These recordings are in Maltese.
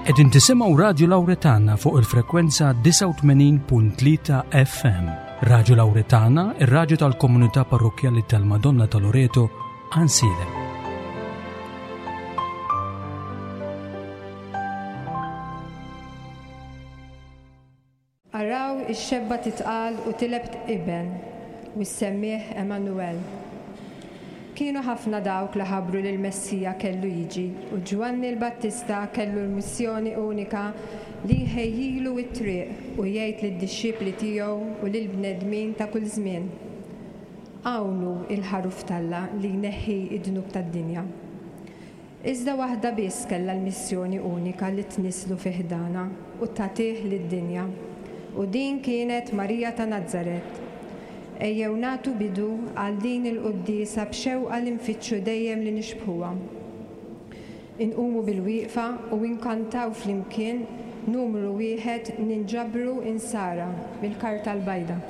Qegħdin tisimgħu Radju Lawretana fuq il-frekwenza 89.3 FM. Radju Lawretana, ir-radju tal-komunità parrokkjali tal-Madonna ta' Loreto, Ansilem. Araw ix-xebba titqal u tileb iben, u ssemmih Emmanuel. Kienu ħafna dawk li ħabbru li l-Messija kellu jiġi u Ġwanni l-Battista kellu l-missjoni unika li jħejjilu t-triq u jgħid lid-dixxipli tiegħu u lill-bnedmin ta' kull żmien, Hawn hu l-Ħaruf t'Alla li jneħħi d-dnub tad-dinja. Iżda waħda biss kellha l-missjoni unika li tnisslu fi ħdanha u tagħtih lid-dinja. U din kienet Marija ta' Nazaret. Ejjew nagħtu bidu għal din il-quddiesa b'xewqa li nfittxu dejjem li nixbħuha. Inqumu bilwieqfa u inkantaw flimkien numru wieħed Ninġabru Insara mill-Karta l-Bajda.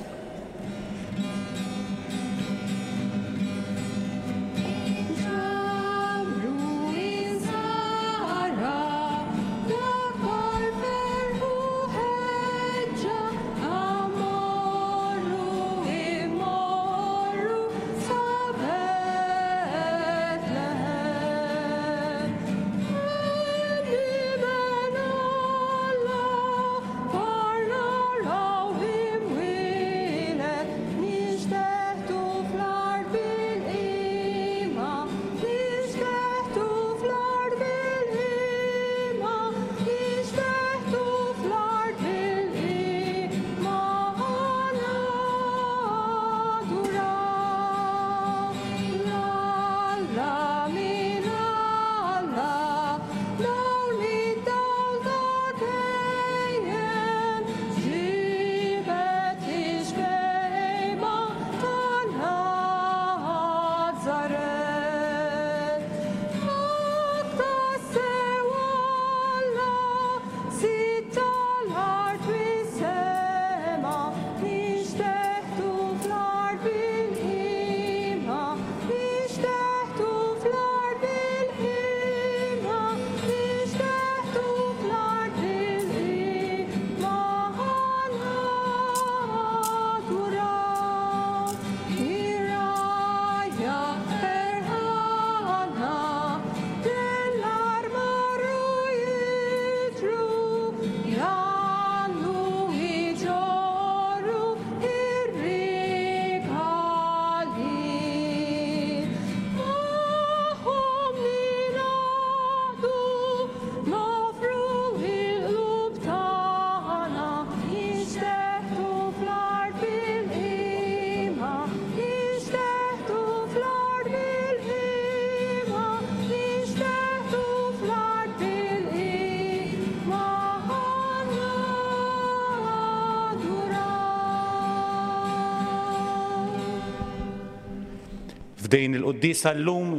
F'din il-quddiesa llum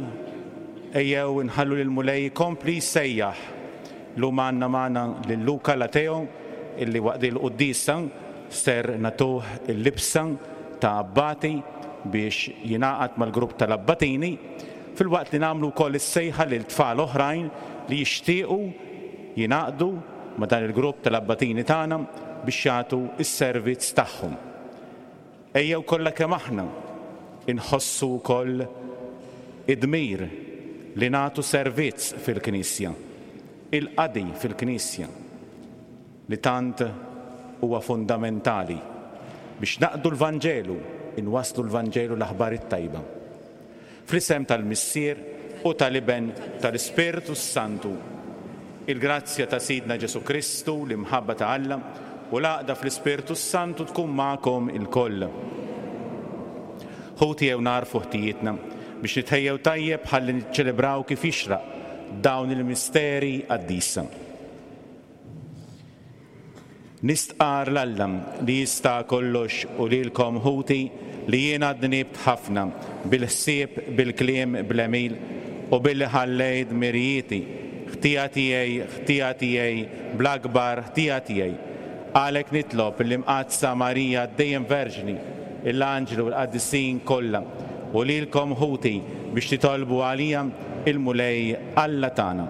ejjew inħallu lill-Mulej ikompli jsejjaħ. Llum għandna magħna lil Luca Lateo illi waqt din il-quddiesa ser nagħtuh il-libsa ta' abbati biex jingħaqad mal-grupp tal-abbatini filwaqt li nagħmlu wkoll is-sejħa lil tfal oħrajn li jixtiequ jingħaqdu ma' dan il-grupp tal-abbatini tagħna biex jagħtu s-servizz tagħhom. Ejjew kollha kemm aħna nħossu wkoll id-dmir li nagħtu servizz fil-Knisja, il-qadi fil-Knisja li tant huwa fundamentali biex naqdu l-Vanġelu, inwasslu l-Vanġelu l-Aħbar it-Tajba. Fl-isem tal-Missier, u tal-Iben, tal-Ispirtu s-Santu. Il-grazzja ta' Sidna Ġesù Kristu, l-imħabba ta' Alla, u l-għaqda fl-Ispirtu s-Santu tkun magħkom ilkoll. Ħuti ejjew nagħrfu ħtijietna biex nitħejjew tajjeb ħalli niċċelebraw kif jixraq dawn il-misteri qaddisa. Nistqarr 'l Alla li jista' kollox u lilkom, ħuti, li jiena dnibt ħafna, bil-ħsieb, bil-kliem, bl-għemil, u billi ħallejt dmirijieti. Ħtija tiegħi, ħtija tiegħi, bl-akbar ħtija tiegħi. Għalhekk nitlob lill-Imqaddsa Marija dejjem Verġni, l-anġli u l-qaddisin kollha, u lilkom, ħuti, biex titolbu għalija il-Mulej Alla tagħna.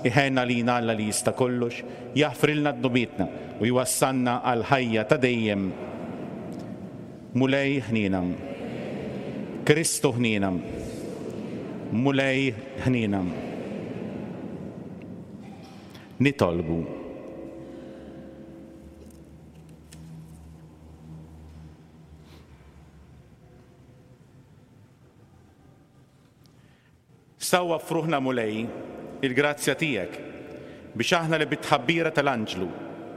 Iħenn għalina Alla li jista' kollox, jaħfrilna dnubietna u jwassalna għall-ħajja ta' dejjem. Mulej ħniena. Kristu ħniena. Mulej ħniena. Nitolbu. Sawwab f'ruħna, Mulej, il-grazzja tiegħek, biex aħna li bit-tħabbira tal-anġlu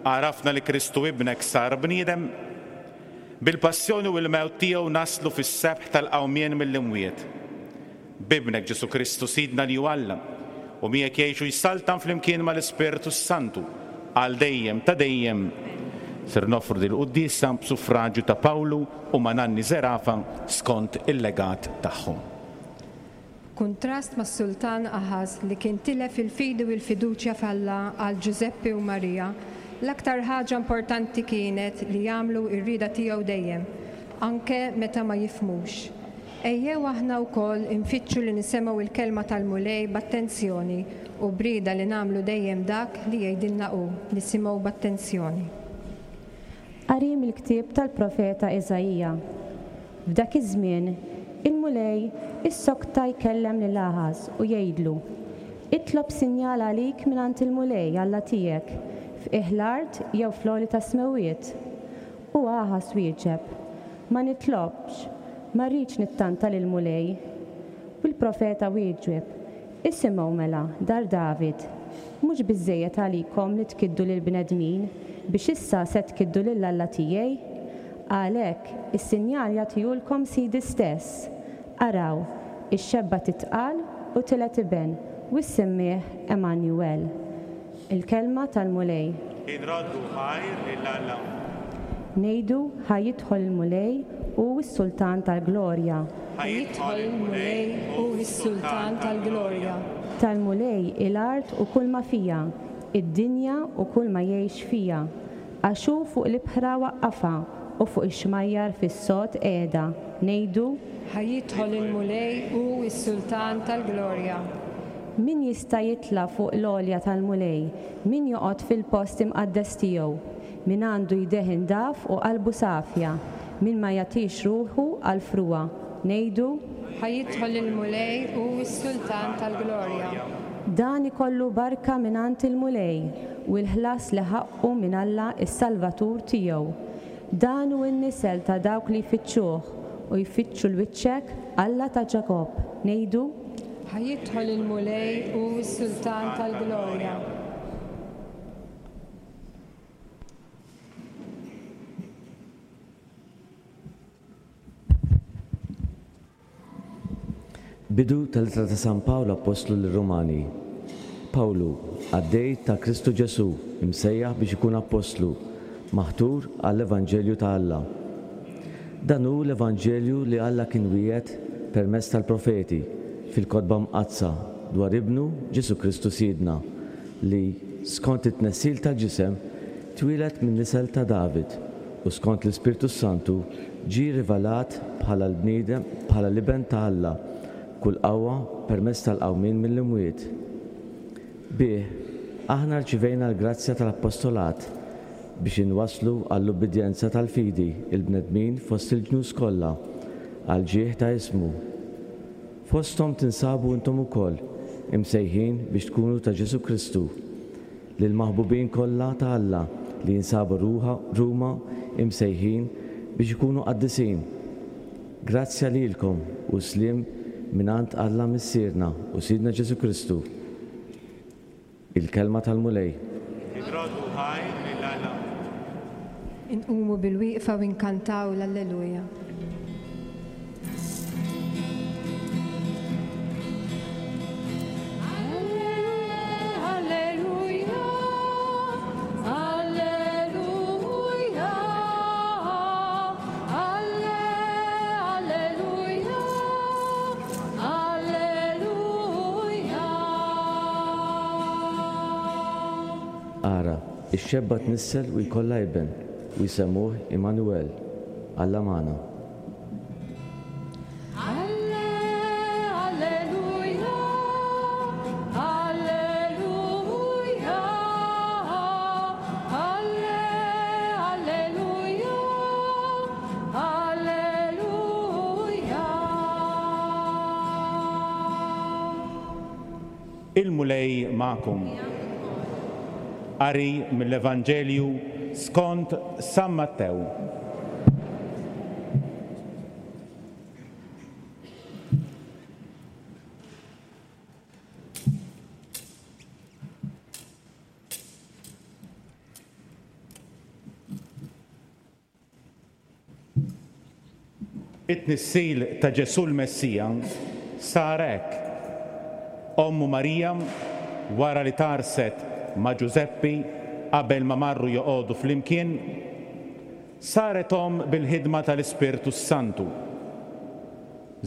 għarafna li Kristu Ibnek sar bniedem, bil-passjoni u l-mewt tiegħu naslu fis-sebħ tal-qawmien mill-imwiet. B'Ibnek Ġesù Kristu Sidna li hu Alla, u miegħek jgħix u jsaltan flimkien mal-Ispirtu s-Santu, għal dejjem ta' dejjem. Ser noffru dil-quddiesa b'suffraġju ta' Pawlu u ma' Nanni Zerafa skont il-legat tagħhom. B'kuntrast mas-Sultan Aħaż li kien tilef il-fidi u l-fiduċja f'Alla għal Ġużeppi u Marija, l-aktar ħaġa importanti kienet li jagħmlu r-rieda tiegħu dejjem, anke meta ma jifhmux. Ejjew aħna wkoll infittxu li nisemgħu l-kelma tal-Mulej b'attenzjoni u b'rieda li nagħmlu dejjem dak li jgħidilna hu, nisimgħu b'attenzjoni. Qari mill-ktieb tal-profeta Iżaija. F'dak iż-żmien, il-Mulej issokta jkellem lil Aħaż u jgħidlu, Itlob sinjal għalik mingħand il-Mulej, Alla tiegħek, f'qiegħ l-art jew fl-għoli tas-smewwiet. U Aħaż wieġeb, Ma nitlobx, ma rridx nittanta lill-Mulej. U l-profeta wieġeb, Isimgħu mela, dar David, mhux biżżejjed għalikom li tkiddu lill-bnedmin, biex issa se tkiddu lil Alla tiegħi? Għalhekk, is-sinjal jagħtihulkom Sidi stess, Araw, ix-xebba titqal u tiled iben, u ssemmih Emmanuel. Il-Kelma tal-Mulej. Inroddu ħajr lil Alla. Ngħidu, Ħa jidħol il-Mulej, hu s-Sultan tal-glorja. Ħa jidħol il-Mulej, hu s-Sultan tal-glorja. Tal-Mulej hi l-art u kulma fiha, id-dinja u kulma jgħix fiha. Għax hu fuq l-ibħra waqqafha, u fuq ix-xmajjar fis-sod qiegħda. Ngħidu. Ħa jidħol il-Mulej, hu s-Sultan tal-glorja. Min jista' jitla' fuq l-għolja tal-Mulej, min joqgħod fil-post imqaddes tiegħu? Min għandu jdejh indaf u qalbu safja, min ma jagħtix ruħu għall-frugħa. Ngħidu. Ħa jidħol il-Mulej, hu s-Sultan tal-glorja. Dan ikollu barka mingħand il-Mulej, u l-ħlas li ħaqqu minn Alla s-Salvatur tiegħu. Dan hu n-nisel ta' dawk li jfittxuh, u jfittxu l-wiċċek, Alla ta' Ġakobb. Ngħidu. Ħa jidħol il-Mulej, hu s-Sultan tal-glorja. Bidu tal-Ittra ta' San Pawl Appostlu lir-Rumani. Pawlu, qaddej ta' Kristu Ġesù, imsejjaħ biex ikun appostlu, maħtur għall-evanġelju ta' Alla. Dan hu l-evanġelju li Alla kien wiegħed permezz tal-profeti fil-Kotba Mqaddsa dwar Ibnu Ġesù Kristu Sidna, li, skont it-tnessil tal-ġisem, twieled min-nisel ta' David u skont l-Ispirtu s-Santu ġie rivelat bħala l-bniedem, bħala l-Iben ta' Alla b'kull qawwa permezz tal-qawmien mill-imwiet. Bih, aħna rċivejna l-grazzja tal-appostolat biex inwasslu għall-ubbidjenza tal-fidi l-bnedmin fost il-ġnus kollha, għall-ġieħ ta' ismu. Fosthom tinsabu intom ukoll, imsejħin biex tkunu ta' Ġesù Kristu. Lill-maħbubin kollha ta' Alla li jinsabu Ruma imsejħin biex ikunu qaddisin. Grazzja lilkom u sliem mingħand Alla Missierna u Sidna Ġesù Kristu. Il-Kelma tal-Mulej. Inroddu ħajr lil Alla. Inqumu bil-wieqfa u nkantaw l-Alleluja. Ara, ix-xebba tnissel u jkollha iben, u jsemmuh Immanuel, Alla magħna. Il-Mulej magħkom. Qari mill-Evanġelju skont San Mattew. It-tnissil ta' Ġesù l-Messija sar hekk, Ommu Marija, wara li tgħarrset ma' Ġużeppi qabel ma marru joqogħdu flimkien, saret omm bil-ħidma tal-Ispirtu s-Santu.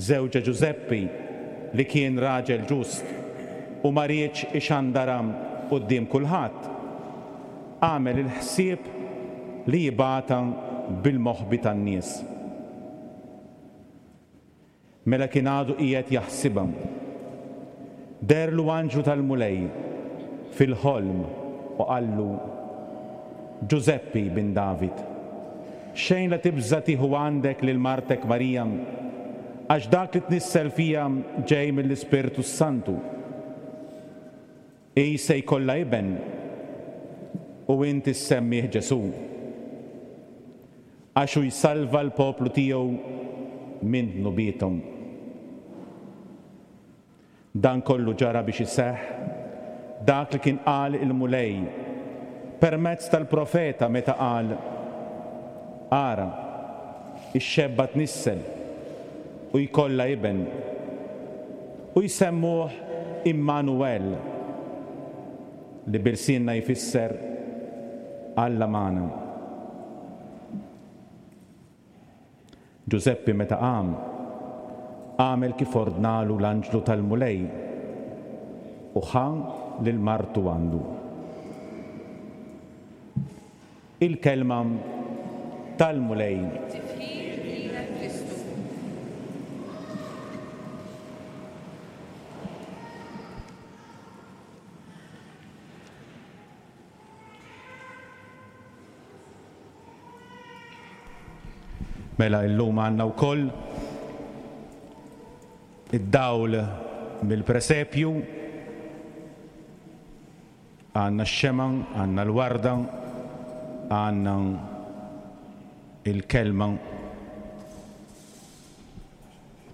Żewġha Ġużeppi, li kien raġel ġust u ma riedx ixandarha quddiem kulħadd, għamel il-ħsieb li jibgħatha bil-moħbi tan-nies. Mela kien għadu qiegħed jaħsibha. Deherlu anġlu tal-Mulej fil-ħolm u qallu, Ġużeppi, bin David, xejn la tibża' tieħu għandek lil martek Marija, għax dak li tnissel fiha ġej mill-Ispirtu s-Santu. Hi se jkollha iben, u int issemmih Ġesù, għax hu jsalva l-poplu tiegħu minn dnubiethom. Dan kollu ġara biex iseħħ dak li kien qal il-Mulej permezz tal-profeta meta qal, Ara, ix-xebba tnissel u jkollha iben, u jsemmuh Immanuwel, li b'ilsienna jfisser Alla magħna. Ġużeppi meta qam, għamel kif ordnalu l-anġlu tal-Mulej u ħa lil martu għandu. Il-Kelma tal-Mulej. Tifħir lilek Kristu. Mela illum għandna wkoll id-dawl mill-presepju, għandna x-xemgħa, għandna l-warda, għandna il-kelma.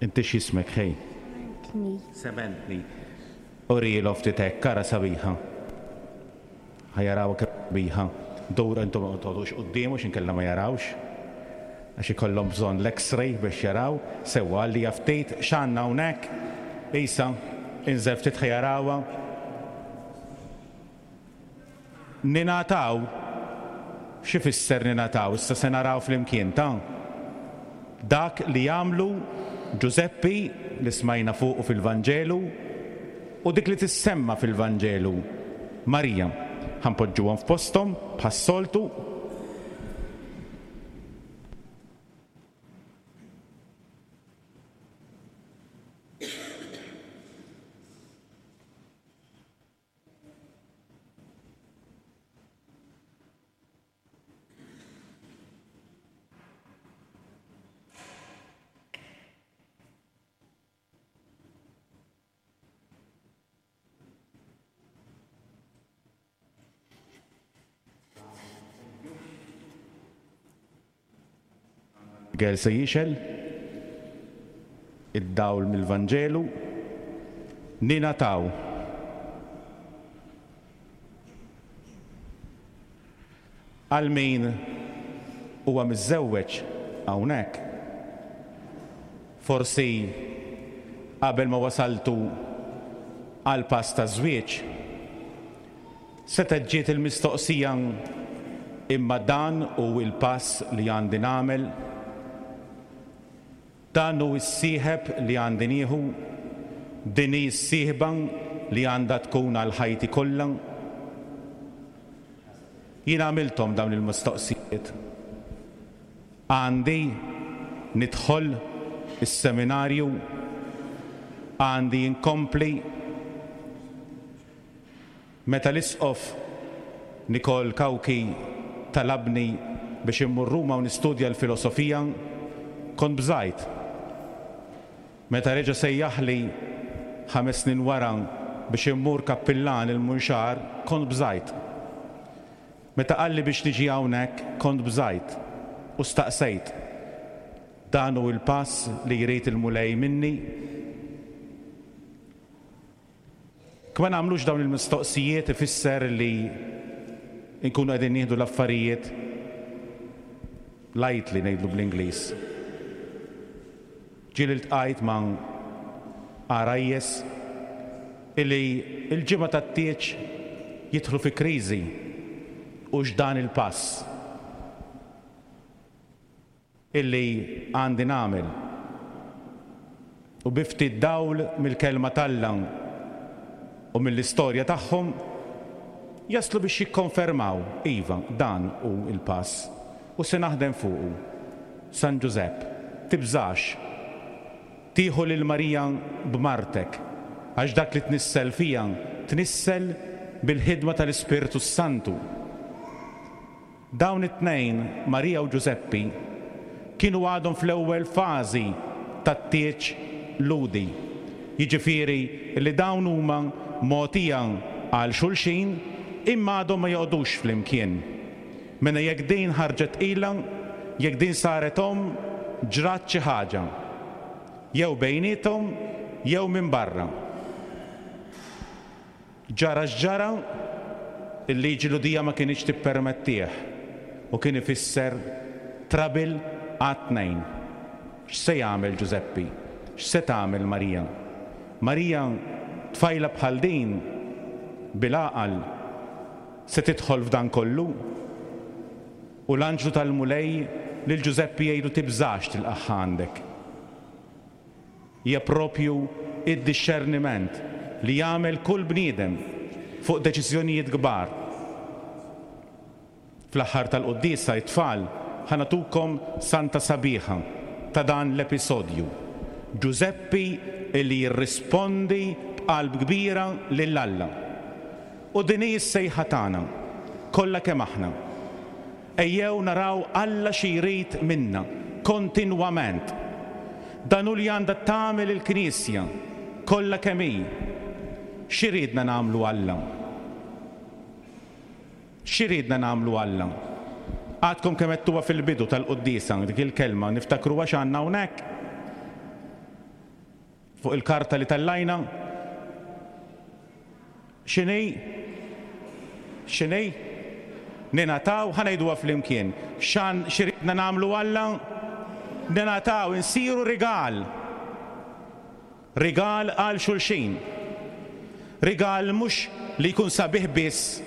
Inti x'jismek ħej? Sementni. Sementni. Urilu ftit hekk, ara sabiħa. Ħa jarawha kemm sabiħa. Dur intom ma toqgħodux quddiemu x'inkella ma jarawx. Għax ikollhom bżonn l-X-ray biex jaraw. Sewwa għalija ftit x'għandna hawnhekk? Isa, inżel ftit ħa jarawha. Ningħataw? X'ifisser ningħataw? Issa se naraw flimkien, ta? Dak li għamlu Ġużeppi, li smajna fuqu fil-Vanġelu, u dik li tissemma fil-Vanġelu, Marija. Ħa npoġġuhom f'posthom, bħas-soltu. Miguel se jixgħel id-dawl mill-Vanġelu, ningħataw. Għal min huwa miżżewweġ hawnhekk, forsi qabel ma wasaltu għall-pass taż-żwieġ, Setgħet ġiet il-mistoqsija, Imma dan hu l-pass li għandi nagħmel? Dan hu s-sieħeb li għandi nieħu? Din hi s-sieħba li għandha tkun għal ħajti kollha? Jien għamilthom dawn il-mistoqsijiet. Għandi nidħol is-seminarju? Għandi inkompli? Meta l-Isqof Nikol Cauchi talabni biex immur Ruma u nistudja l-filosofija, kont bżajt. Meta reġa' sejjaħli ħames snin wara biex immur kappillan il-Munxar kont bżajt. Meta qalli biex niġi hawnhekk kont bżajt u staqsejt, Dan hu l-pass li jrid il-Mulej minni? Jekk ma nagħmlux dawn il-mistoqsijiet ifisser li nkunu qegħdin nieħdu l-affarijiet lightly ngħidlu bl-Ingliż. Ġieli ltqajt ma' għarajjes illi l-ġimgħa tat-tieġ jidħlu fi kriżi hux dan il-pass illi għandi nagħmel. U bi ftit dawl mill-Kelma t'Alla u mill-istorja tagħhom jaslu biex jikkonfermaw, iva, dan hu l-pass u se naħdem fuqu. San Ġużepp, tibżax tieħu lil Marija b'martek, għax dak li tnissel fiha tnissel bil-ħidma tal-Ispirtu s-Santu. Dawn it-tnejn, Marija u Ġużeppi, kienu għadhom fl-ewwel fażi tat-tieġ Lhudi, jiġifieri li dawn huma mogħtija għal xulxin imma għadhom ma joqogħdux flimkien. Mela jekk din ħarġet tqila, jekk din saret omm, ġrat xi ħaġa. Jew bejniethom jew minn barra. Ġara x'ġara, il-liġi Lhudija ma kinitx tippermettih u kien ifisser trouble għat-tnejn. X'se jagħmel Ġużeppi? X'se tagħmel Marija? Marija, tfajla bħal din, bil-għaqal, se tidħol f'dan kollu? U l-anġlu tal-Mulej lil Ġużeppi jgħidlu tibżax tilqagħha għandek. Hija proprju d-dixxerniment li jagħmel kull bniedem fuq deċiżjonijiet kbar. Fl-aħħar tal-quddiesa it-tfal ħa nagħtukom santa sabiħa ta' dan l-episodju, Ġużeppi li jirrispondi b'qalb kbira lil Alla. U din hi s-sejħa tagħna, kollha kemm aħna. Ejjew naraw Alla xi jrid minna kontinwament. Dan hu li għandha tagħmel il-Knisja kollha kemm hi. X'iridna nagħmlu Alla? X'iridna nagħmlu Alla? Għadkom kemm għedtuha fil-bidu tal-quddiesa dik il-kelma, niftakruha x'għandna hawnhekk? Fuq il-karta li tellajna? X'inhi? X'inhi? Ningħataw, ħa ngħiduha flimkien. X'għan, x'iridna nagħmlu Alla? Ningħataw, insiru rigal. Rigal għal xulxin. Rigal mhux li jkun sabiħ biss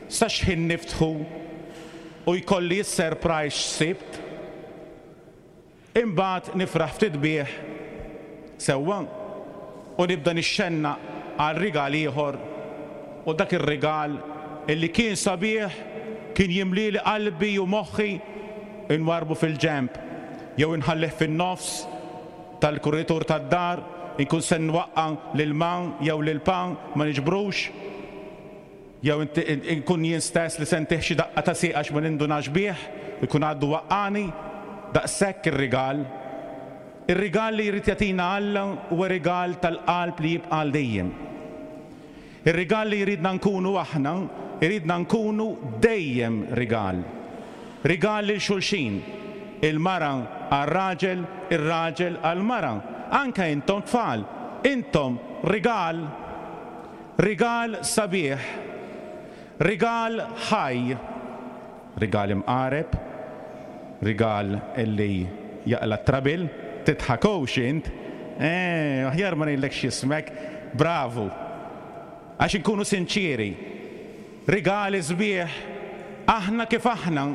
sa x'ħin niftħu u jkolli s-surprise x'sibt. Imbagħad nifraħ ftit bih sewwa u nibda nixxennaq għal rigal ieħor u dak ir-rigal illi kien sabiħ kien jimlieli qalbi u moħħi inwarrbu fil-ġenb jew inħallih fin-nofs tal-kuritur tad-dar inkun se nwaqqa' lil ma jew lil pa ma niġbrux. Jew inkun jien stess li se ntih xi daqqa ta' sieq għax ma nindunax bih, ikun għaddu waqqagħni. Daqshekk ir-rigal. Ir-rigal li jrid jagħtina Alla huwa rigal tal-qalb li jibqa' għal dejjem. Ir-rigal li jridna nkunu aħna, iridna nkunu dejjem rigal. Rigal lil xulxin. Il-mara għar-raġel, ir-raġel għall-mara. Anke intom tfal, intom rigal. Rigal sabiħ. Rigal ħaj. Rigal imqareb. Rigal li jaqla' t-trabil. Tidħakux int. Eh, aħjar ma ngħidlekx x'ismek. Bravu. Għax inkunu sinċieri. Rigali sbieħ. Aħna kif aħna.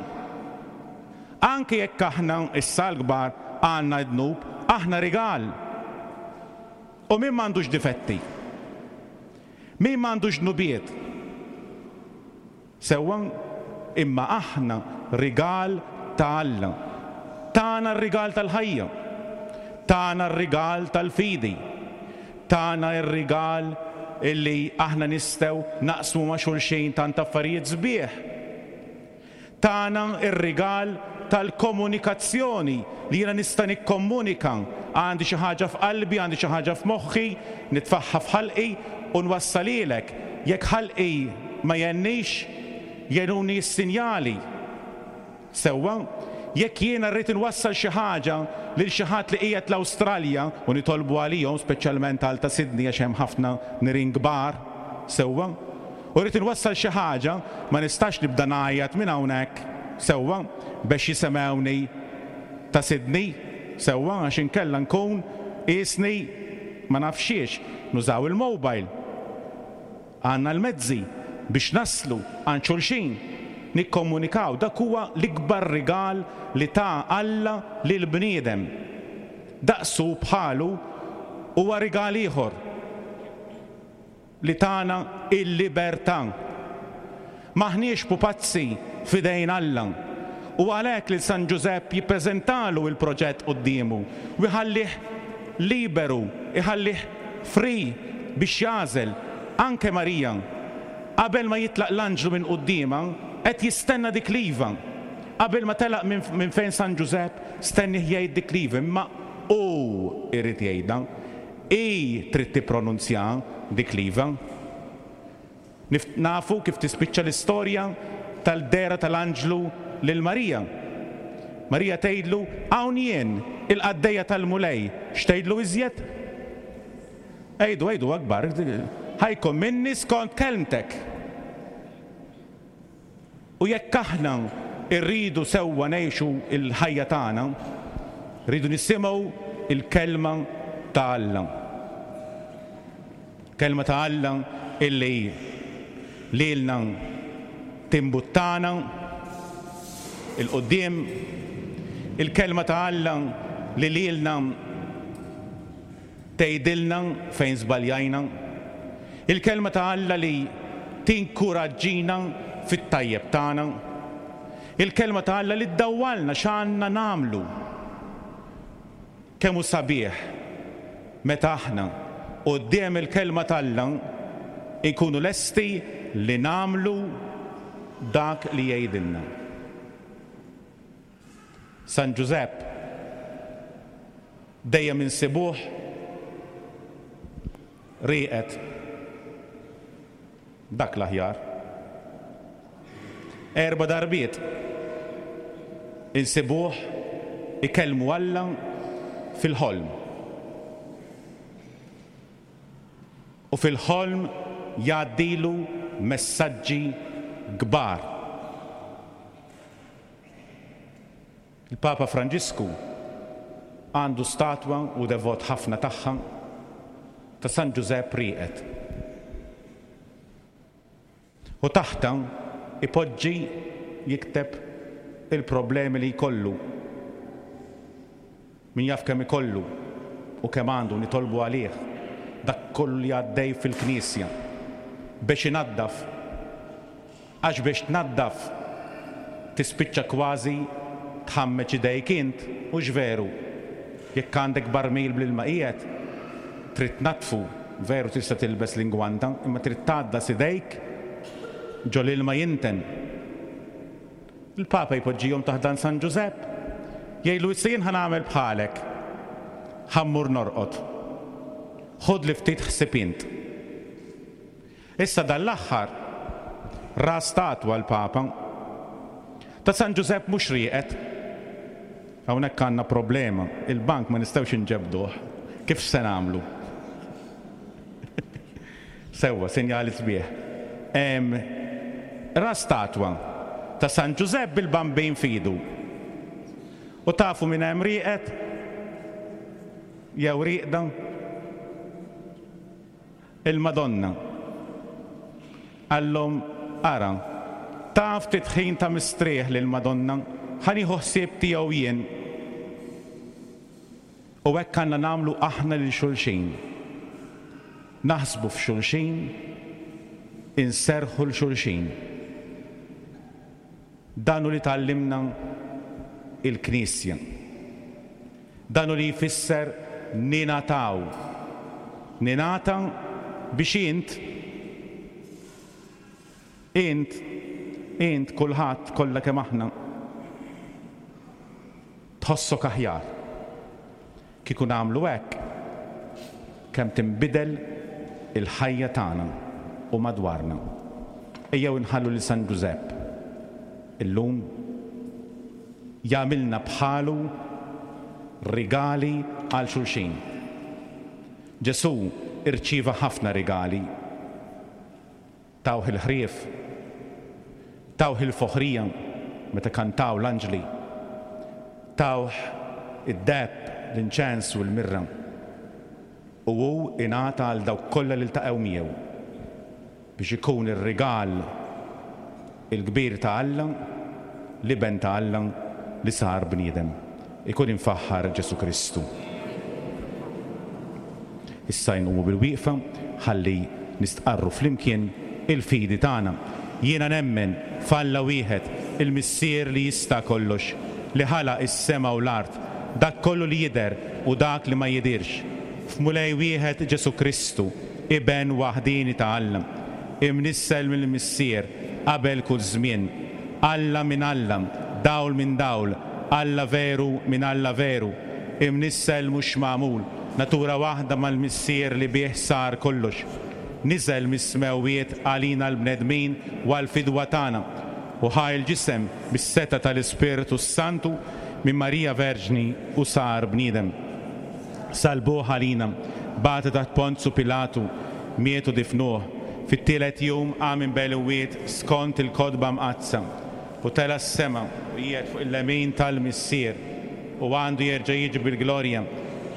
Anke jekk aħna, issa l-kbar, għandna d-dnub, aħna rigal. U min m'għandux difetti? Min m'għandux dnubiet? Sewwa, imma aħna rigal ta' Alla. Tana r-rigal tal-ħajja. Tana r-rigal tal-fidi. Tana r-rigal illi aħna nistgħu naqsmu ma' xulxin tant affarijiet sbieħ. Tana r-rigal tal-komunikazzjoni, li jiena nista' nikkomunika, għandi xi ħaġa f'qalbi, għandi xi ħaġa f'moħħi, nitfagħha f'ħalqi u nwassalhielek. Jekk ħalqi ma jgħennix, jgħinuni s-sinjali. Sewwa, jekk jiena rrid inwassal xi ħaġa lil xi ħadd li qiegħed l-Awstralja, u nitolbu għalihom, speċjalment għal ta' Sydney għax hemm ħafna nirien kbar, sewwa, u rrid inwassal xi ħaġa, ma nistax nibda ngħajjat minn hawnhekk, sewwa, bex jisemgħuni ta' Sydney, sewwa, għax inkella nkun qiesni ma nafx xiex. Nużaw il-mobile. Għandna l-mezzi biex naslu għand xulxin, nikkomunikaw. Dak huwa l-ikbar rigal li ta Alla lill-bniedem. Daqsu u bħalu huwa rigal ieħor li tana l-libertà. M'aħniex pupazzi f'idejn Alla. U għalhekk lil San Ġużepp jippreżentalu l-proġett quddiemu u jħallih liberu, iħallih free biex jagħżel. Anke Marija, qabel ma jitlaq l-anġlu minn quddiemha, qed jistenna dik l-iva. Qabel ma telaq minn fejn San Ġużepp stennieh jgħid dik l-iva, imma hu jrid jgħidha. Hi trid tippronunzjaha dik l-iva. Nafu kif tispiċċa l-istorja tal-dehra tal-anġlu lil Marija. Marija tgħidlu, Hawn jien, il-qaddejja tal-Mulej. X'tgħidlu iżjed? Għidu, għidu akbar, ħa jkun minni skont kelmtek. U jekk aħna rridu sewwa ngħixu l-ħajja tagħna, rridu nisimgħu l-Kelma ta' Alla. Kelma ta' Alla illi lilna timbuttana 'l quddiem, il-Kelma ta' Alla li lilna tgħidilna fejn żbaljajna, il-Kelma ta' Alla li tinkuraġġina fit-tajjeb tagħna, il-Kelma ta' Alla li ddawwalna x'għandna nagħmlu. Kemm hu sabiħ meta aħna, quddiem il-Kelma t'Alla, inkunu lesti li nagħmlu dak li jgħidilna. San Ġużepp dejjem insibuh rieqed. Dak l-aħjar. Erba' darbiet insibuh ikellmu Alla fil-ħolm. U fil-ħolm jgħaddilu messaġġi kbar. Il-Papa Franġisku għandu statwa u devot ħafna tagħha ta' San Ġużepp rieqed. U taħtha ipoġġi jikteb il-problemi li jkollu. Min jaf kemm ikollu u kemm għandu nitolbu għalih dak kollu li għaddej fil-Knisja biex inaddaf Għax biex tnaddaf tispiċċa kważi tħammeġ idejk int, hux veru? Jekk għandek barmil bl-ilma qiegħed, trid tnaddfu, veru tista' tilbes l-ingwanta, imma trid tgħaddas idejk ġo l-ilma jinten. Il-Papa jpoġġihom taħt dan San Ġużepp, jgħidlu issa jien ħa nagħmel bħalek, ħa mmur norqod. Ħudli ftit ħsieb int. Issa dan l-aħħar ra statwa l-Papa ta' San Ġużepp mhux rieqed. Hawnhekk għandna problema, il-bank ma nistgħux inġebbduh. Kif se nagħmlu? Sewwa, sinjali sbieħ. Ra statwa ta' San Ġużepp bil-Bambin f'idu. U tafu min hemm rieqed? Jew rieqda? Il-Madonna. Qallhom, Ara, ta ftit ħin ta' mistrieħ lill-Madonna, ħa nieħu ħsieb tiegħu jien. U hekk għandna nagħmlu aħna lil xulxin. Naħsbu f'xulxin, inserrħu 'l xulxin. Dan hu li tgħallimna l-Knisja. Dan hu li jfisser ningħataw. Ningħata biex int, int, int, kulħadd, kollha kemm aħna, tħossok aħjar. Kieku nagħmlu hekk, kemm tinbidel. il-ħajja tagħna u madwarna. Ejjew inħallu lil San Ġużepp illum jagħmilna bħalu rigali għal xulxin. Ġesù rċieva ħafna rigali. Tawh il-ħrief, tawh il-foħrija meta kantaw l-anġli, tawh id-deheb, l-inċens u l-mirra. U hu ingħata għal dawk kollha li ltaqgħu miegħu biex ikun ir-rigal il-kbir ta' Alla, l-Iben ta' Alla li sar bniedem. Ikun imfaħħar Ġesù Kristu. Issa inqumu bil-wieqfa ħalli nistqarru flimkien il-fidi tagħna. Jiena nemmen f'Alla wieħed, il-Missier li jista' kollox, li ħalaq is-sema u l-art, dak kollu li jidher u dak li ma jidhirx, f'Mulej wieħed Ġesù Kristu, Iben waħdieni ta' Alla, imnissel mill-Missier qabel kull żmien, Alla minn Alla, dawl minn dawl, Alla veru minn Alla veru, imnissel mhux magħmul, natura waħda mal-Missier li bih sar kollox. Niżel mis-smewwiet għalina l-bnedmin u għall-fidwa tagħna, u ħa l-ġisem bis-setgħa tal-Ispirtu s-Santu minn Marija Verġni u sar bniedem. Salbuh għalina, bagħtu taħt Ponzu Pilatu, miet u difnuh. Fit-tielet jum qam minn bejn l-imwiet skont il-Kotba Mqaddsa, u tela' s-sema u qiegħed fuq il-lemin tal-Missier, u għandu jerġa' jiġi bil-glorja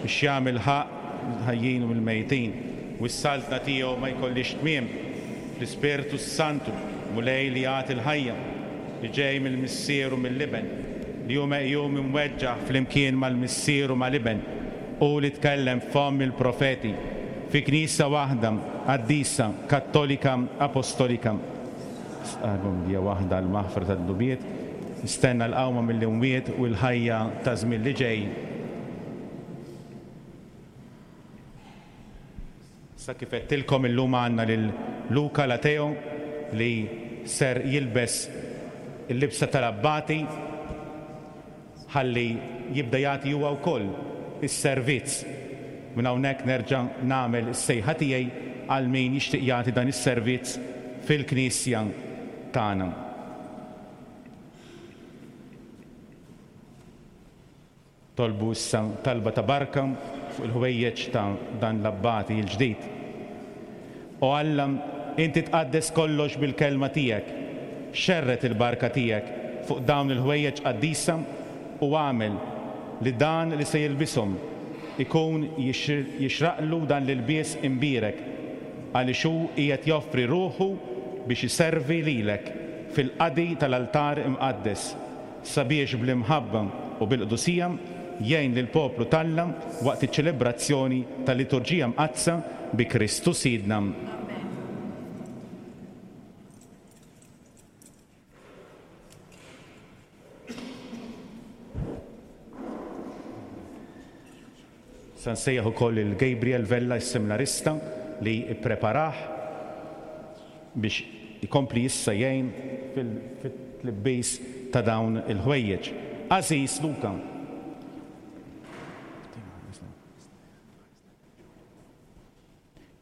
biex jagħmel ħaqq mill-ħajjin u mill-mejtin, u s-saltna tiegħu ma jkollhiex tmiem. Fl-Ispirtu s-Santu, Mulej li jagħti l-ħajja, li ġej mill-Missier u mill-Iben, li hu meqjum imweġġaħ flimkien mal-Missier u mal-Iben, hu li tkellem f'fomm il-profeti, fi Knisja waħda, qaddisa, kattolika, apostolika. Stqarr hija waħda l-maħfra tad-dnubiet, nistenna l-qawma mill-imwiet u l-ħajja taż-żmien li ġej. Sa kif għedtilkom illum għandna lil Luca Lateo li ser jilbes il-libsa tal-abbati ħalli jibda jagħti huwa wkoll is-servizz. Minn hawnhekk nerġa' nagħmel is-sejħa tiegħi għal min jixtieq jagħti dan is-servizz fil-knisja tagħna. Tolbu issa talba ta' barka fuq il-ħwejjeġ ta' dan l-abbati l-ġdid. O Alla, inti tqaddes kollox bil-kelma tiegħek. Xerred il-barka tiegħek fuq dawn il-ħwejjeġ qaddisa u agħmel li dan li se jilbishom ikun jixraqlu dan l-ilbies imbierek, għaliex hu qiegħed joffri ruħu biex iservi lilek fil-qadi tal-altar imqaddes. sabiex bl-imħabba u bil-qdusija jgħin lill-poplu t'Alla waqt iċ-ċelebrazzjoni tal-Liturġija Mqaddsa bi Kristu Sidna. Se nsejjaħ ukoll lil Gabriel Vella s-seminarista li ppreparah biex ikompli issa jgħin fit-tlibbis ta' dawn il-ħwejjeġ. Għażiż Luca!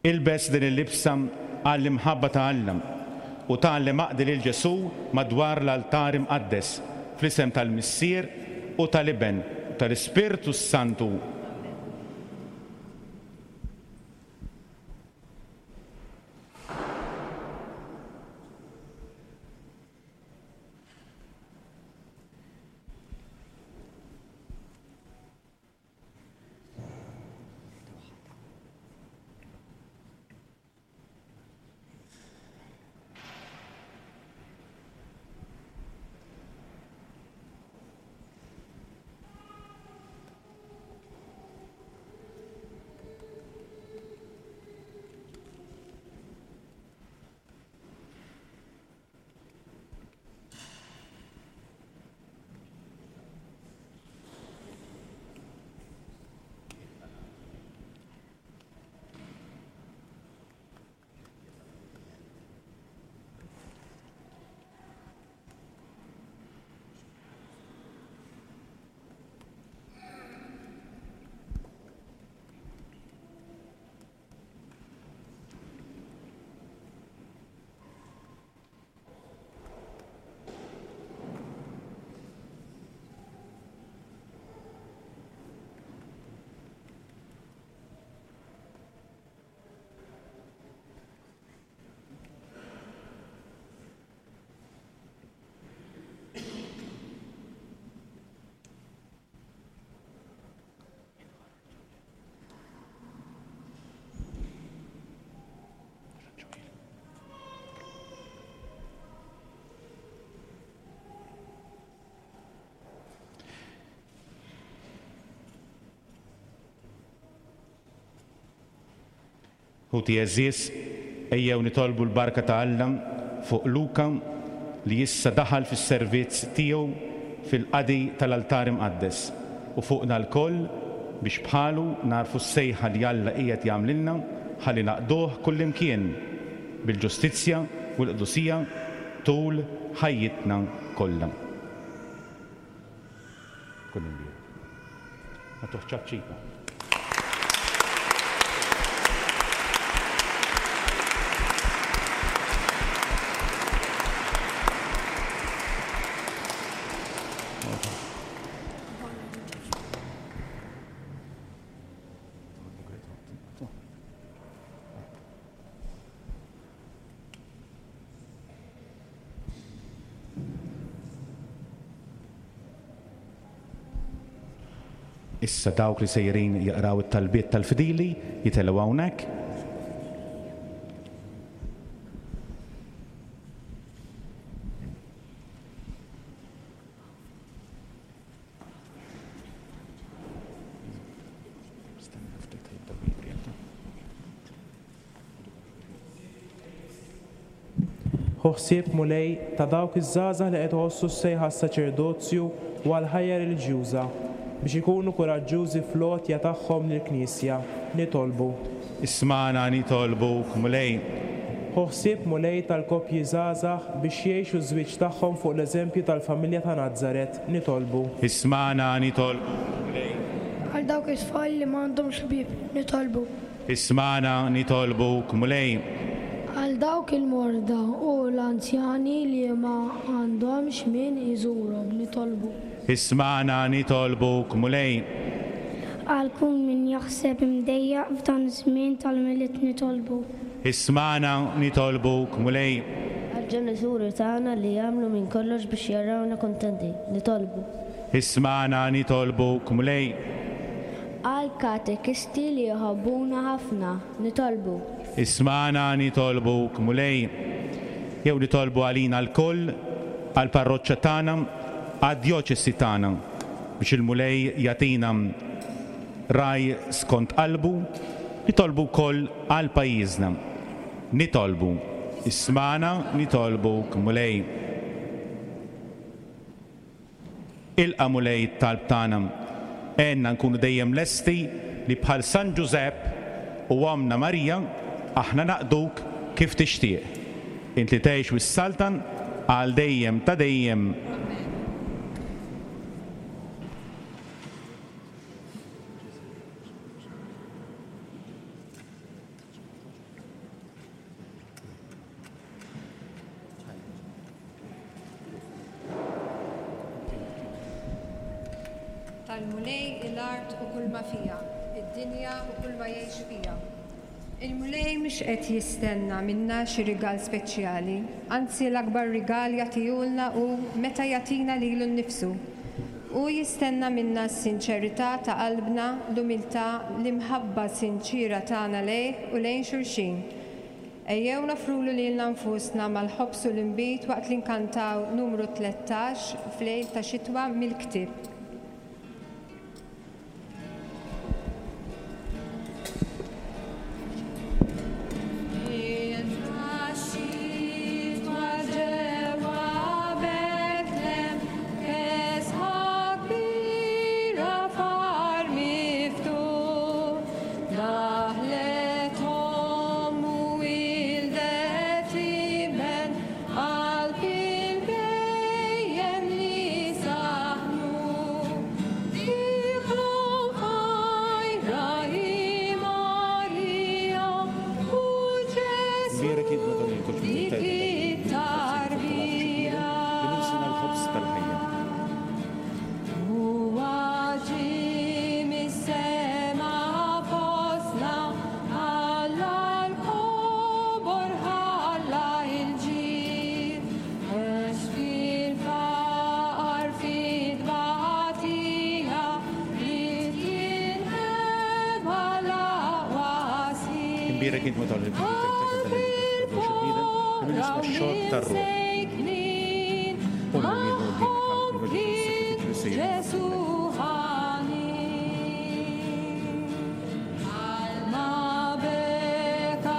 Ilbes din il-libsa għall-imħabba ta' Alla u tgħallem aqdi lil Ġesù madwar l-altar imqaddes, fl-isem tal-Missier u tal-Iben u tal-Ispirtu s-Santu. Ħuti għeżież, ejjew nitolbu l-barka ta' Alla fuq Luca li issa daħal fis-servizz tiegħu fil-qadi tal-altar imqaddes u fuqna lkoll biex bħalu nagħrfu s-sejħa li Alla qiegħed jagħmlilna ħalli naqduh kullimkien bil-ġustizzja u l-qdusija tul ħajjitna kollha. Kun imbierek. Nagħtuh ċapċipa. Issa dawk li sejrin jaqraw it-talbiet tal-fidili jitilgħu hawnhekk. Ħu ħsieb, Mulej, ta' dawk iż-żgħażagħ li qed iħossu s-sejħa għas-saċerdozju u għall-ħajja reliġjuża, biex ikunu kuraġġużi fl-għotja tagħhom lill-Knisja. Nitolbu. Ismagħna, nitolbuk, Mulej. Ħu ħsieb, Mulej, tal-koppji żgħażagħ biex jgħixu ż-żwieġ tagħhom fuq l-eżempju tal-familja ta' Nazaret. Nitolbu. Ismagħna, nitolbuk, Mulej. Għal dawk it-tfal li ma għandhomx ħbieb. Nitolbu. Ismagħna, nitolbuk, Mulej. Għal dawk il-morda u l-anzjani li ma għandhomx min iżurhom, nitolbu. Ismagħna, nitolbuk, Mulej. Għal kull min jaħseb imdejjaq f'dan iż-żmien tal-Milied nitolbu. Ismagħna, nitolbuk, Mulej. Għall-ġenituri tagħna li jagħmlu minn kollox biex jarawna kuntenti, nitolbu. Ismagħna, nitolbuk, Mulej. Għall-katekisti li jħobbuna ħafna, nitolbu. Ismagħna nitolbuk, Mulej. Jew nitolbu għalina lkoll, għall-parroċċa tagħna, għad-djoċesi tagħna, biex il-Mulej jagħtina ragħaj skont qalbu, nitolbu wkoll għal pajjiżna. Nitolbu. Ismagħna nitolbuk, Mulej. Ilqa' Mulej it-talb tagħna. Għinna nkunu dejjem lesti li bħal San Ġużepp u Ommna Marija aħna naqduk kif tixtieq. Int li tgħix u ssaltan għal dejjem ta' dejjem. Amen. Tal-Mulej hi l-art u kulma fiha, id-dinja u kulma jgħix fiha. Il-Mulej mhux qed jistenna minna xi rigal speċjali, anzi l-akbar rigal jagħtihulna hu meta jagħtina lilu nnifsu. Hu jistenna minna s-sinċerità ta' qalbna, l-umiltà, l-imħabba sinċiera tagħna lejh u lejn xulxin. Ejjew noffrulu lilna nfusna mal-ħobż u l-inbid waqt li nkantaw numru 13 f'lejl ta' xitwa mill-ktieb. Daħlet omm u wildet iben qalb il-bhejjem li saħnu. Dieħlu ħajra hi Marija u Ġesù dik it-tarbija. Huwa ġie mis-sema fostna, ħalla l-kobor, ħalla l-ġid, għex fil-faqar, fit-tbatija, ried jinħeba l-aqwa sid. Imbierek int Madonna li Qalb il-foqra u l-imsejknin, magħhom kien Ġesù ħanin. Bħalma beka.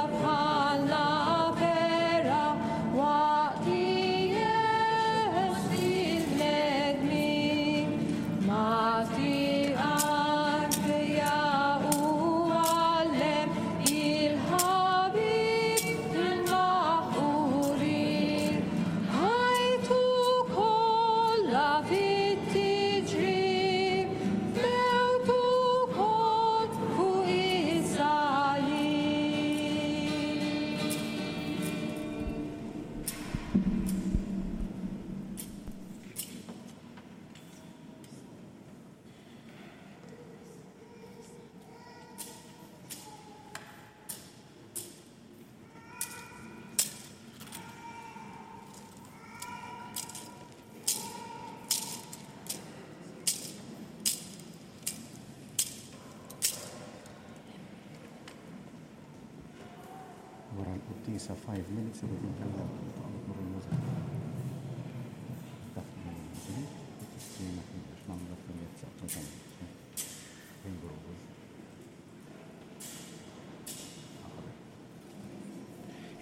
Il-quddiesa 5 minutes irrid inkellem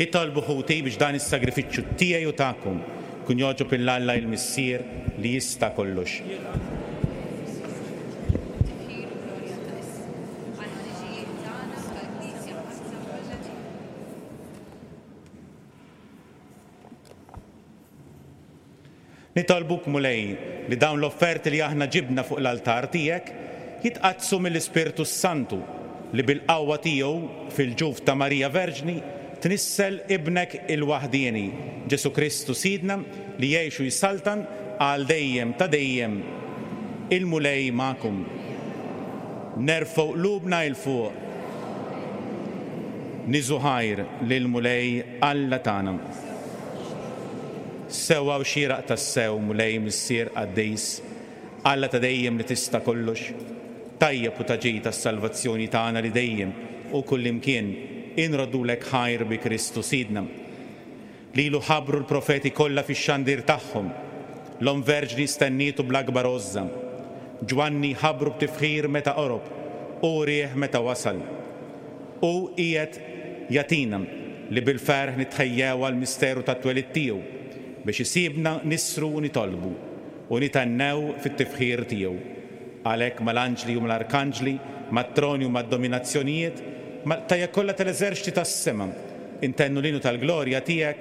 Itolbu ħuti biex dan is-sagrifiċċju tiegħi u tagħkom jkun jogħġob 'il Alla il-Missier li jista' kollox. Nitolbuk, Mulej, li dawn l-offerti li aħna ġibna fuq l-altar tiegħek jitqaddsu mill-Ispirtu s-Santu, li bil-qawwa tiegħu fil-ġuf ta' Marija Verġni tnissel Ibnek il-waħdieni, Ġesù Kristu Sidna, li jgħix u jsaltan għal dejjem ta' dejjem. Il-Mulej magħkom. Nerfgħu qlubna 'il fuq. Niżu ħajr lill-Mulej Alla tagħna. Sewwa u xieraq tassew, Mulej Missier qaddis, Alla ta' dejjem li tista' kollox, tajjeb u ta' ġid għas-salvazzjoni tagħna li dejjem u kullimkien inroddulek ħajr bi Kristu Sidna. Lilu ħabbru l-profeti kollha fix-xandir tagħhom. L-Omm Verġni stennietu bl-akbar għożża. Ġwanni ħabbru b'tifħir meta qorob, u wrieh meta wasal. Hu qiegħed jagħtina li bil-ferħ nitħejjew għall-misteru tat-twelid tiegħu, biex isibna nissru u nitolbu, u nithennew fit-tifħir tiegħu. Għalhekk mal-anġli u mal-arkanġli, mat-troni u mad-dominazzjonijiet, mal-qtajja kollha tal-eżerċti tas-sema, intennu l-innu tal-glorja tiegħek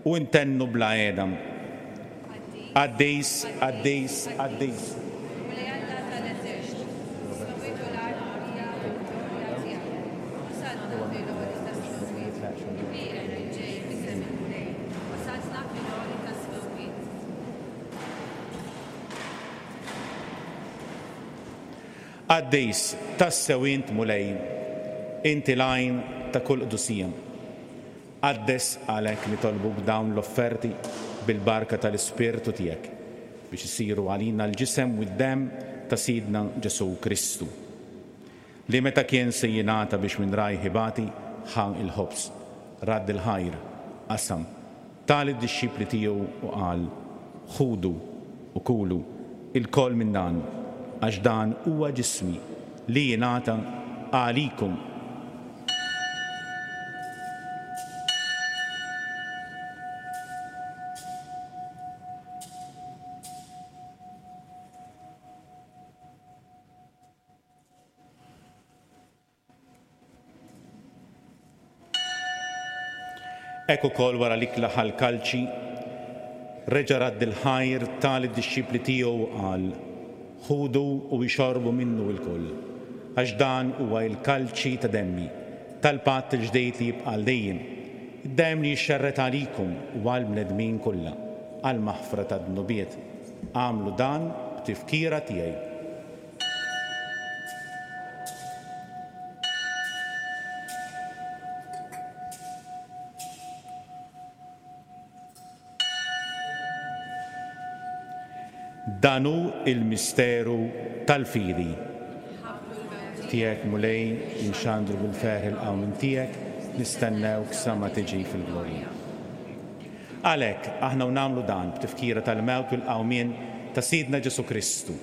u ntennu bla heda, Qaddis, qaddis, qaddis. Mulej Alla tal-eżerċti, is-smewwiet u l-art mimlija bil-glorja tiegħek. Osanna fil-għoli tas-smewwiet. Imbierek il-ġej f'isem il-Mulej. Osanna fil-għoli tas-smewwiet. Qaddis, tassew int, Mulej, inti l-għajn ta' kull qdusija. Qaddes għalhekk nitolbuk dawn l-offerti bil-barka tal-Ispirtu tiegħek, biex isiru għalina l-ġisem u d-demm ta' Sidna Ġesù Kristu, li meta kien se jingħata biex minn rajh ibati, ħa l-ħobż, radd il-ħajr, qasam, Ta lid-dixxipli tiegħu u qal, Ħudu u kulu ilkoll minn dan, għax dan huwa ġismi li jingħata għalikom. Hekk ukoll wara l-ikla ħa l-kalċi, reġa' radd il-ħajr, ta lid-dixxipli tiegħu u qal, Ħudu u ixorbu minnu ilkoll, għax dan huwa il-kalċi ta' demmi, tal-patt il-ġdid li jibqa' għal dejjem, id-demm li jixxerred għalikom u għall-bnedmin kollha, għall-maħfra tad-dnubiet. Agħmlu dan b'tifkira tiegħi. Dan hu l-misteru tal-fidi. Tiegħek, Mulej, inxandru bil-ferħ il-qawmien tiegħek, nistennewk sa ma tiġi fil-glorja. Għalhekk, aħna u nagħmlu dan b'tifkira tal-mewt u l-qawmien ta' Sidna Ġesù Kristu,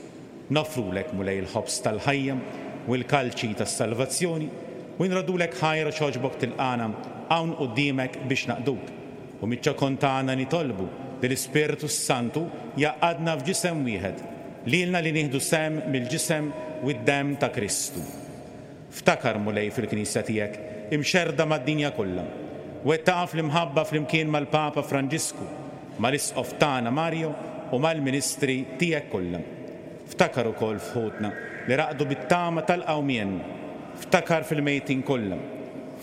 Noffrulek, Mulej, il-ħobż tal-ħajja u l-kalċi tas-salvazzjoni, u nroddulek ħajr għax għoġbok tilqagħna hawn quddiemek biex naqduk. U miċ-ċokon tagħna nitolbu li l-Ispirtu s-Santu jgħaqqadna f'ġisem wieħed, lilna li nieħdu sehem mill-ġisem u d-demm ta' Kristu. Ftakar, Mulej, fil-Knisja tiegħek, imxerrda mad-dinja kollha. Wettaqha fl-imħabba flimkien mal-Papa Franġisku, mal-Isqof tagħna Mario u mal-ministri tiegħek kollha. Ftakar ukoll f'ħutna li raqdu bit-tama tal-qawmien. Ftakar fil-mejtin kollha.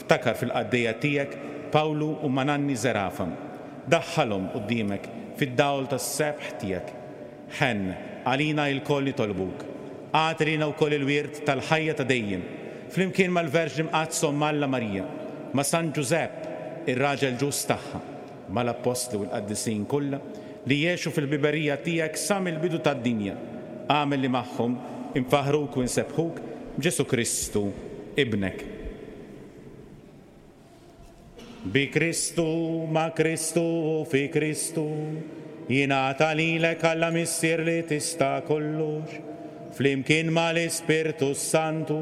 Ftakar fil-qaddejja tiegħek Pawlu u Mananni Zerafa. Daħħalhom quddiemek fid-dawl tas-sebħ tiegħek. Ħenn għalina ilkoll nitolbuk. Agħti lilna wkoll il-wirt tal-ħajja ta' dejjem, flimkien mal-Verġni Mqaddsa Omm Alla Marija, ma' San Ġużepp, ir-raġel ġust tagħha, mal-Appostli u l-qaddisin kollha li għexu fil-ħbiberija tiegħek sa mill-bidu tad-dinja, agħmel li magħhom infaħħruk u nsebbħuk b'Ġesù Kristu, Ibnek. Bi Kristu, ma' Kristu u fi Kristu, jingħata lilek Alla Missier li tista' kollox, flimkien mal-Ispirtu s-Santu,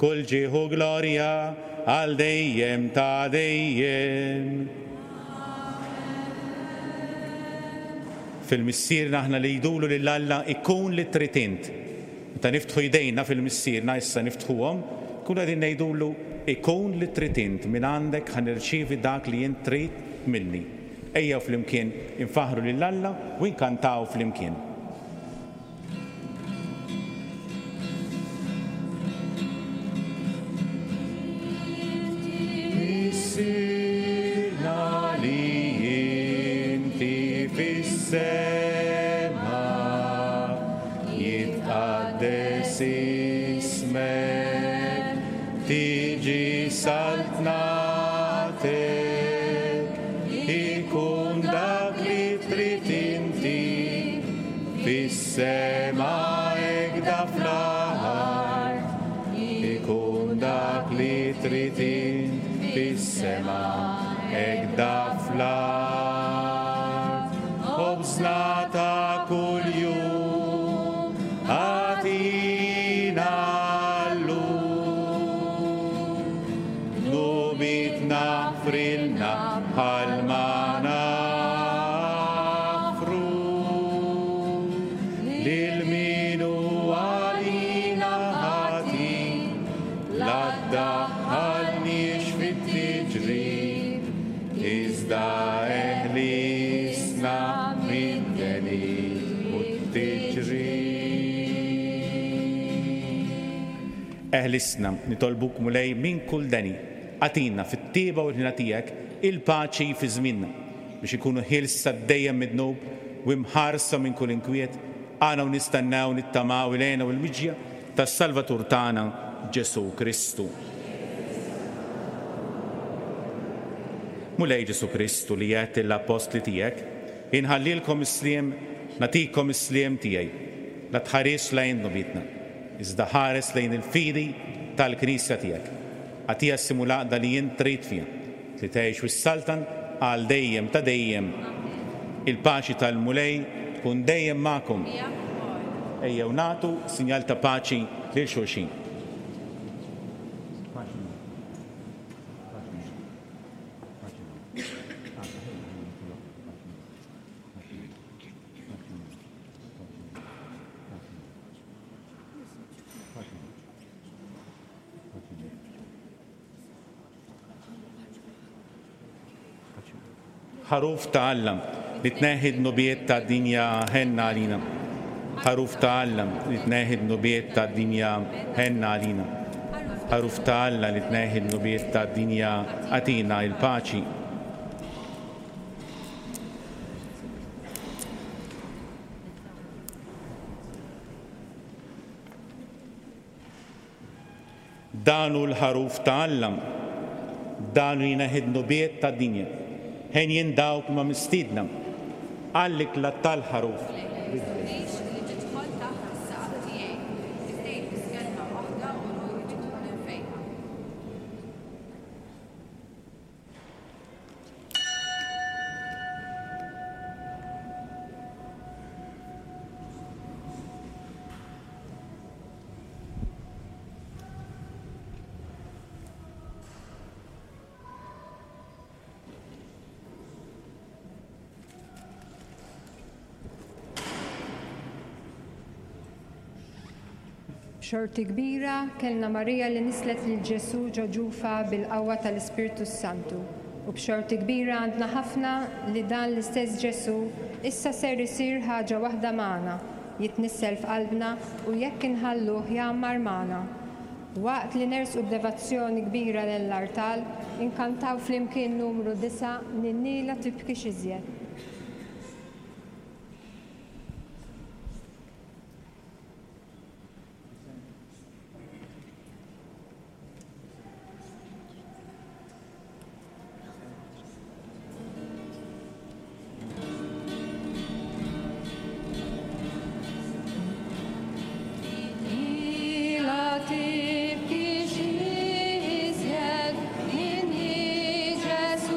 kull ġieħ u glorja għal dejjem ta' dejjem. Fil-Missierna aħna li jdulu lil Alla ikun li trid int. Meta niftħu jdejna fil-Missierna, issa niftħuhom, nkunu qegħdin ngħidulu, Ikun li trid int, mingħandek ħa nirċievi dak li int trid minni. Ejjew flimkien infaħħru lil Alla u nkantaw flimkien. Missierna li inti fis-sema, Jitqaddes ismek, tiġi saltnatek, ikun dak li trid inti, fis-sema hekda fl-art. Ikun dak li trid int, fis-sema hekda fl-art. Ħobżna ta' kuljum agħtina llum. Dnubietna aħfrilna bħalma naħfru lil min hu għalina ħati. La ddaħħalniex fit-tiġrib, iżda eħlisna mid-deni u t-tiġrib. Eħlisna, nitolbuk Mulej, minn kull deni. Agħtina, fit-tjieba u l-ħniena tiegħek, il-paċi fi żmienna, biex inkunu ħielsa dejjem mid-dnub u imħarsa minn kull inkwiet, aħna u nistennew, nittamaw il-hena u l-miġja tas-Salvatur tagħna, Ġesù Kristu. Mulej Ġesù Kristu li għedt lill-appostli tiegħek, Inħallilkom is-sliem, nagħtikom is-sliem tiegħi. La tħarisx lejn dnubietna, iżda ħares lejn il-fidi tal-Knisja tiegħek. Agħtiha s-sliem u l-għaqda li int trid fiha, li tgħix u ssaltan għal dejjem ta' dejjem. Il-paċi tal-Mulej tkun dejjem magħkom. Ejjew nagħtu sinjal ta' paċi lil xulxin. Ħaruf ta' Alla, li tneħħi d-dnubiet tad-dinja, ħenn għalina. Ħaruf ta' Alla, li tneħħi d-dnubiet tad-dinja, ħenn għalina. Ħaruf ta' Alla, li tneħħi d-dnubiet tad-dinja, agħtina l-paċi. Dan hu l-Ħaruf ta' Alla, dan hu jneħħi d-dnubiet tad-dinja. Henjin dawk li huma mistiedna għall-ikla tal-Ħaruf. Tridx li tidħol taħt is-saqaf tiegħi, iżda biss kelma waħda u ruħi tkun imfejqa. B'xorti kbira, kellna Marija li nisslet lil Ġesù ġo ġufha bil-qawwa tal-Ispirtu s-Santu. U b'xorti kbira għandna ħafna li dan l-istess Ġesù issa ser isir ħaġa waħda magħna, jitnissel f'qalbna u jekk inħalluh jgħammar magħna. Waqt li nersqu b'devazzjoni kbira lejn l-artal, inkantaw flimkien numru disgħa, Ninni la tibkix iżjed. La tibkix iżjed, Ninni Ġesù.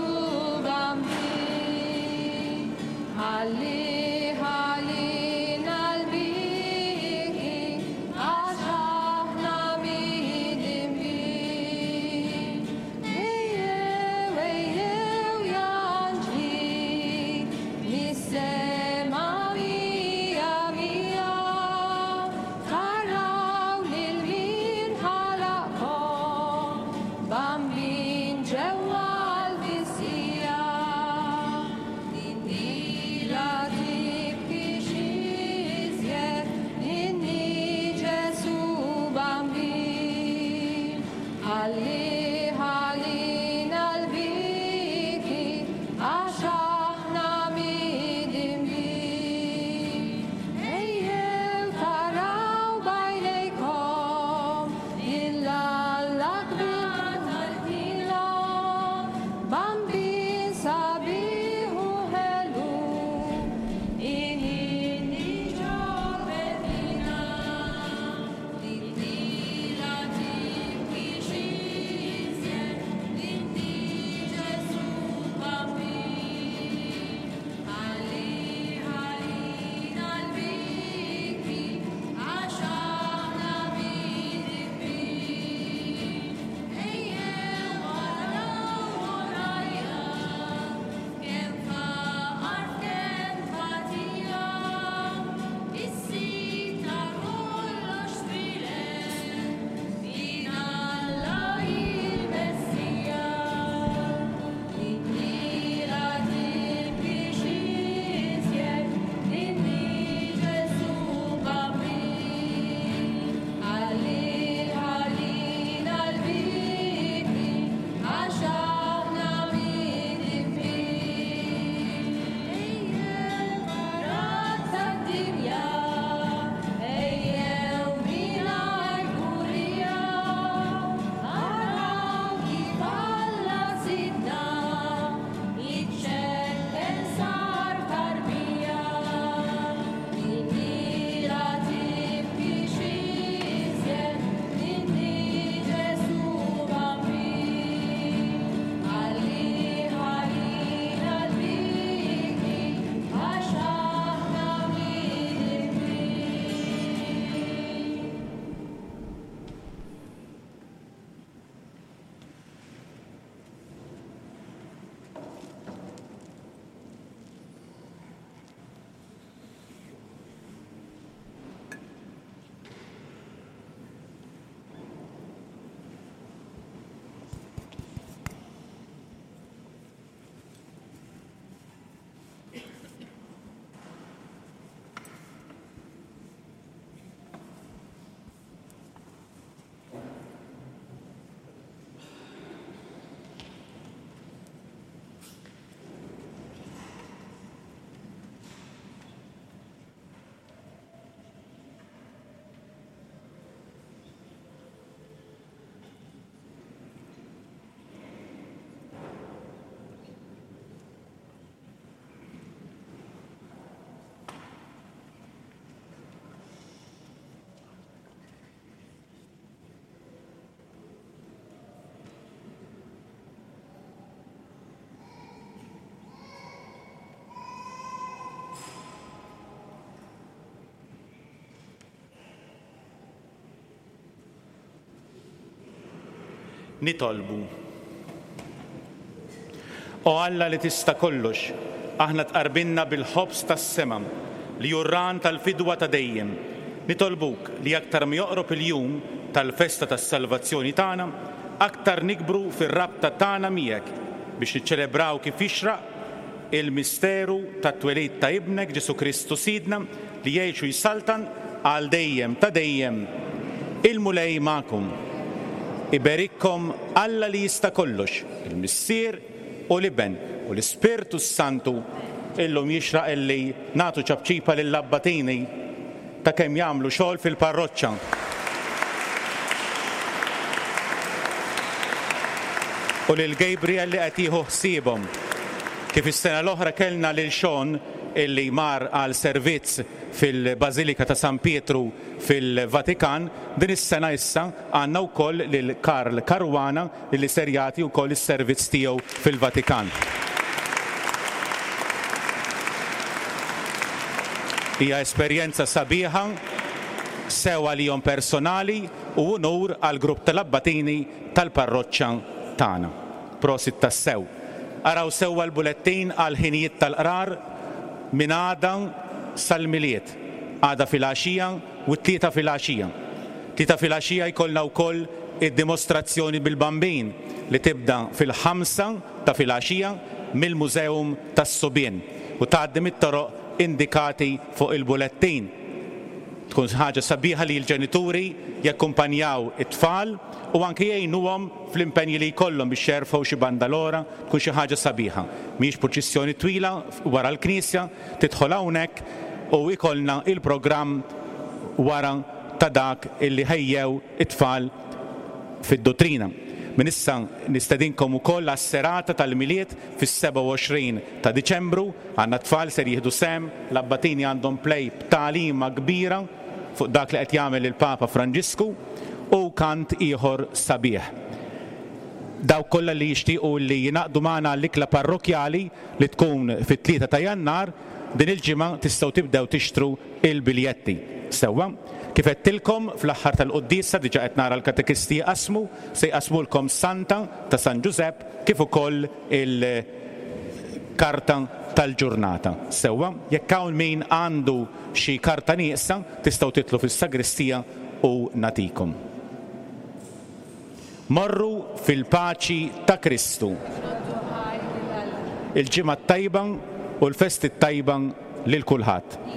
Nitolbu. O Alla li tista' kollox, aħna tqarbinna bil-ħobż tas-sema, li hu r-ragħan tal-fidwa ta' dejjem. Nitolbuk li aktar ma joqrob il-jum tal-festa tas-salvazzjoni tagħna, aktar nikbru fir-rabta tagħna miegħek biex niċċelebraw kif jixraq il-misteru tat-twelid ta' Ibnek Ġesù Kristu Sidna li jgħix u jsaltan għal dejjem ta' dejjem. Il-Mulej magħkom. Iberikkom Alla li jista' kollox, il-Missier u l-Iben u l-Ispirtu s-Santu. Illum jixraq illi nagħtu ċapċipa lill-abbatini ta' kemm jagħmlu xogħol fil-parroċċa. U lil Gabriel li qed jieħu ħsiebhom. Kif is-sena l-oħra kellna lil Sean illi mar għal servizz fil-Bażilika ta' San Pietru fil-Vatikan, din is-sena issa għandna wkoll lil Karl Caruana illi ser jagħti wkoll is-servizz tiegħu fil-Vatikan. Hija esperjenza sabiħa sew għalihom personali u unur għall-grupp tal-abbatini tal-parroċċa tagħna. Prosit tassew. Araw sewwa l-bulettin għall-ħinijiet tal-qrar minn għada sal-Milied, għada filgħaxija u t-Tlieta filgħaxija. Tlieta filgħaxija jkollna wkoll id-dimostrazzjoni bil-Bambin li tibda fil-ħamsa ta' filgħaxija mill-Museum tas-Subien u tgħaddi mit-toroq indikati fuq il-bulettin. Tkun ħaġa sabiħa li l-ġenituri jakkumpanjaw it-tfal u anke jgħinuhom fl-impenji li jkollhom biex jerfgħu xi bandalora, tkun xi ħaġa sabiħa. Mhijiex purċissjoni twila wara l-knisja, tidħol hawnhekk u jkollna il-programm wara ta' dak illi ħejjew it-tfal fid-duttrina. Minn issa nistedinkom ukoll għas-serata tal-Milied fis-27 ta' Diċembru. Għandna tfal ser jieħdu sehem, l-abbatini għandhom play b'tagħlima kbira fuq dak li qed jagħmel il-Papa Franġisku u kant ieħor sabiħ. Dawk kollha li jixtiequ li jingħaqdu magħna għall-ikla parrokkjali li tkun fit-3 ta' Jannar, din il-ġimgħa tistgħu tibdew tixtru l-biljetti. Sewwa? Kif għedtilkom fl-aħħar tal-quddiesa diġà qed nara l-katekisti jqassmu, se jqassmulkom santa ta' San Ġużepp kif ukoll il-karta tal-ġurnata. Sewwa? Jekk hawn min għandu xi karta nieqsa, tistgħu titlu fis-sagristija u nagħtikom. Morru fil-paċi ta' Kristu. Il-ġimgħa t-tajba u l-festi t-tajba lil kulħadd.